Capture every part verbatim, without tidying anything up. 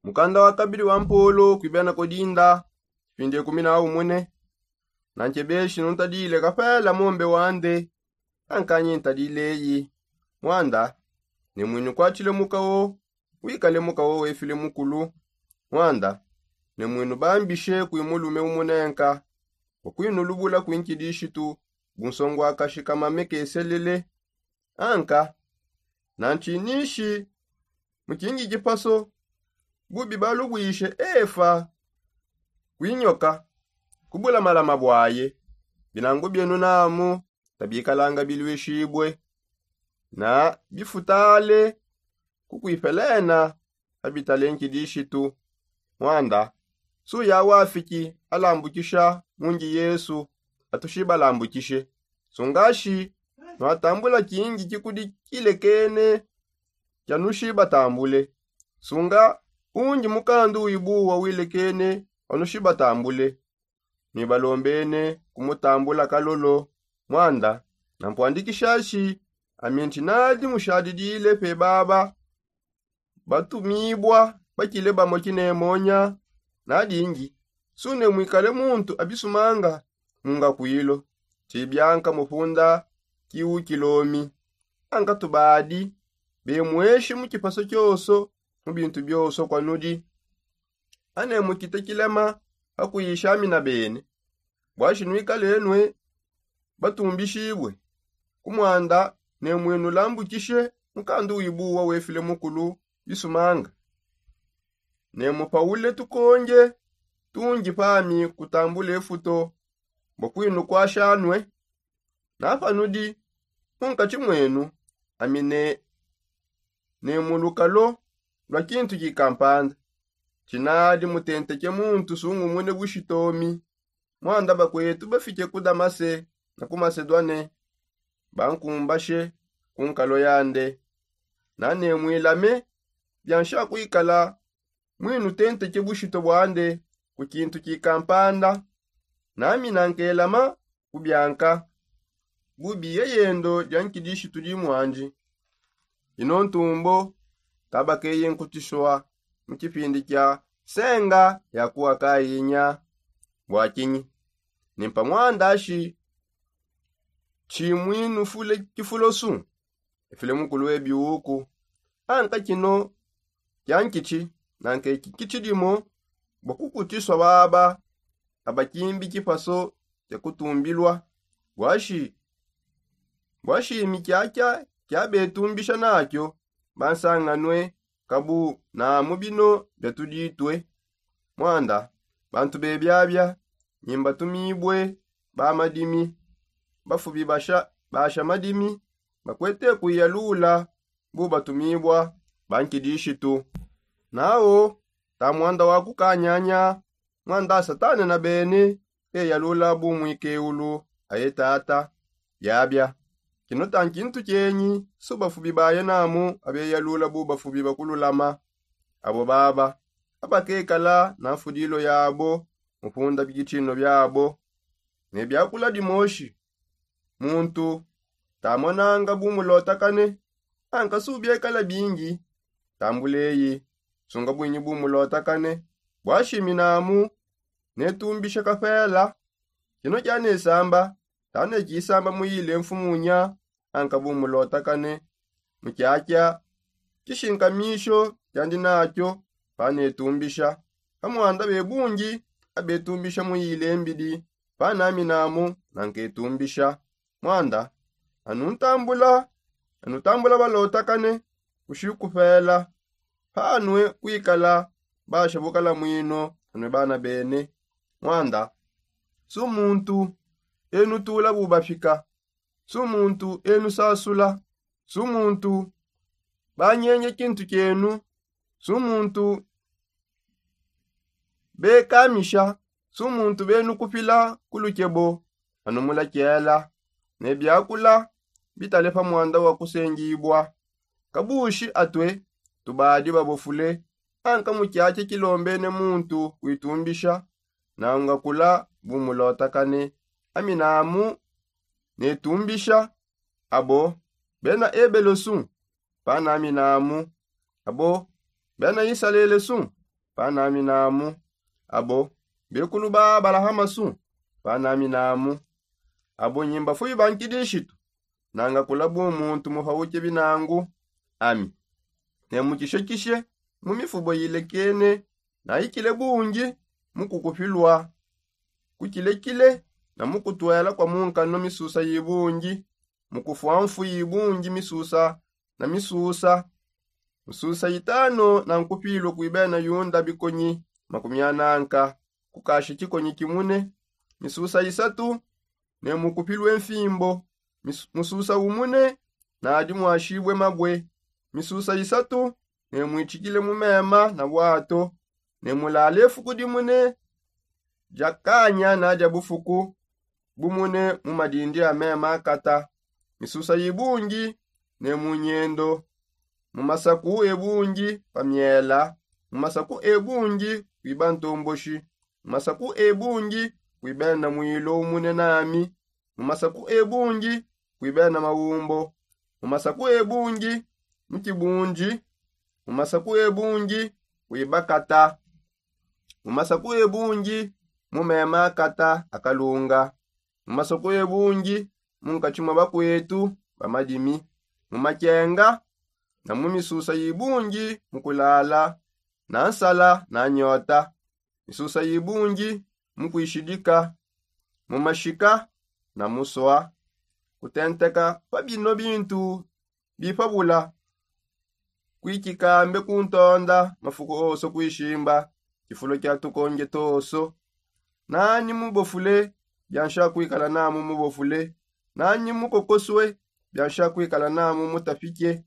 Mukanda wa kabidi wa mpolo kuibena kodinda, kipindi ekumi na umune. Nankebeshi nuntadile kapela mombe wande, ankanyi ntadileyi. Mwanda, ne mwinu kwatile mukawo, wikale mukawo wefile mukulu. Mwanda, ne mwinu bambishe kui mulume umunenka, wakwinu lubula kui nkidishitu, bunsongo akashika mamekeselele. Anka, nantsinishi mukingi kipaso, bubi balubwishe efa kwinyoka kubula malama bwaye. Binangu bienu namu tabikalanga bilwishibwe, na bifutale kukwipelena abitale nkidishitu. Mwanda, suya wafiki alambukisha mungi yesu, atushibalambukishe. Sungashi nwatambula kingi kikudi kilekene kyanushi batambule. Sunga unji mukandu wibuwa wilekene wanushi batambule. Ni balombene kumutambula kalolo. Mwanda, nampwandikishashi aminti nadi mushadidile pe baba batumibwa bakile bamo kinemonya. Nadingi sune mwikale muntu abisumanga munga kwilo, tibyanka mupunda kiukilomi. Anka tubadi bemweshi mu kipaso kyoso, mu bintu byoso kwanudi. Ane mukite kilema akuyisha amina bene. Bwashi nwikale nwe batumbishibwe kumwanda, ne mwinu lambukishe mukandu wibuwa wefile mukulu bisumanga. Ne mupaule tukonge tungi pami kutambula efuto bwa kwinu kwashanwe. Napanudi munkati mwenu amine ne mulukalo lwa kintu kikampanda. Chinadi mutenteke muntu sungumune bushitomi. Mwanda bakwetu bafike ku damase na ku masedwane, bankumbashe ku nkalo yande. Nane mwilame byansha kwikala mwinu tenteke bushito bwande ku kintu kikampanda. Nami nankelama kubyanka bubi yeyendo dya nkidishitu dimwandi. Ino ntumbo kabakeye nkutiswa mu kipindi kya senga yakuwa kayinya. Bwakinyi nimpa mwandashi tshimwinu fule kifulosu efile mukulu webiuku. Anka kino kyankitshi nanka eki kitshidimo bwa kukutiswa baba abakimbi kipaso kya kutumbilwa. Bwashi bwashimi kyakya kyabetumbisha nakyo bansanganwe kabu namu bino byatuditwe. Mwanda bantu bebyabya nyimbatumibwe ba madimi bafubi basha basha madimi bakwete kuiyalula bu batumibwa bankidishitu. Nawo ta mwanda wa kukanyanya mwanda satane na bene eyalula bu mwikeulu aye tata. Byabya kino ta nkintu kyenyi su bafubi baye namu abeyalula bu bafubi bakululama. Abo baba abakekala na mfudilo yabo mupunda bikitshino byabo ne byakula dimoshi. Muntu tamonanga bumulotakane anka subyekala bingi. Tambuleyi sunga bwinyi bumulotakane bwashimi namu netumbisha kapela. Kino kyanesamba tanekisamba muyile mfumunya anka bumulotakane mu kyakya kishinkamisho kyandi nakyo panetumbisha. Pamwanda bebungi abetumbisha muyile mbidi panaminamu nanketumbisha. Mwanda anuntambula anutambula balotakane kushikupela panwe kwikala basha bukala mwino anwe bana bene. Mwanda su muntu enutula bubafika su muntu enusasula su muntu banyenye kintu kyenu su muntu bekamisha su muntu benukupila ku lukebo. Anumula kyela ne byakula bitale pa mwanda wa kusengibwa. Kabushi atwe tubadi babofule anka mu kyakya kilombene muntu kwitumbisha naungakula bumulotakane. Aminamu netumbisha abo bena ebelo su panaminamu abo bena isalele su Panami namu. Abo bekulu ba abalahama su? Panami namu. Abo nyimba fuyi ba nkidishitu? Nanga kula bu muntu mupauke binangu ami. Ne mukishekishe mu mifubo yilekene, na ikile bungi mu kukupilwa kukilekile, na mu kutwela kwa munkano misusa yibungi, mu kufwa mfu yibungi misusa na misusa. Misusa yitano na nkupilwe kwi bena yunda bikonyi makumi ananka, kukasha kikonyi kimune. Misusa yisatu ne mukupilwe mfimbo. Mususa umune nadi mwashibue mabue. Misusa isatu ne mwitshikile mu mema na bwato, ne mulale fuku dimune dia kanya na dia bufuku bumune mu madindi a mema akata. Misusa ibungi ne mu nyendo, mu masaku ebungi pa miela, mu masaku ebungi kwiba ntomboshi, mu masaku ebungi kwiba na mwilo umune nami, mu masaku ebungi kwiba na maumbo, mu masaku ebungi mu kibundi, mu masaku ebungi kwiba kata, mu masaku ebungi mu mema akata akalunga, mu masaku ebungi mu nkatshi mwa bakwetu ba madimi, mu makenga na mu misusa ibungi mu kulala na nsala na nyota, misusa ibungi mu kwishidika, mu mashika na muswa. Kutenteka pa bino bintu bipabula kwikikambe kuntonda mafuku oso kwishimba kifulo kia tukonge toso. Nani mubofule biansha kwikala namu mubofule, nani mukokoswe biansha kwikala namu mutapike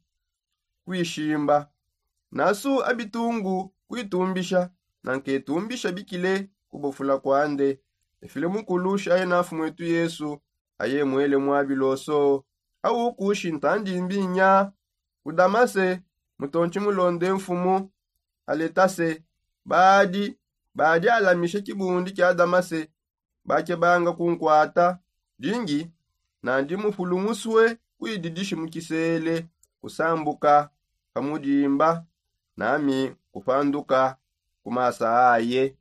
kwishimba. Nasu abitungu kwitumbisha na nkitumbisha bikile kubofula kwande. Efile mukulu shaye na nfumwetu yesu aye mwele mwabiloso. Au kushi ntandimbinya ku damase mutontshi mulonde nfumu aletase. Badi badi alamisha kibundi kia damase bakebanga kunkwata dingi nandi mupulungusue kuididishi mu kisele kusambuka pa mudimba nami kupanduka ku masa aye.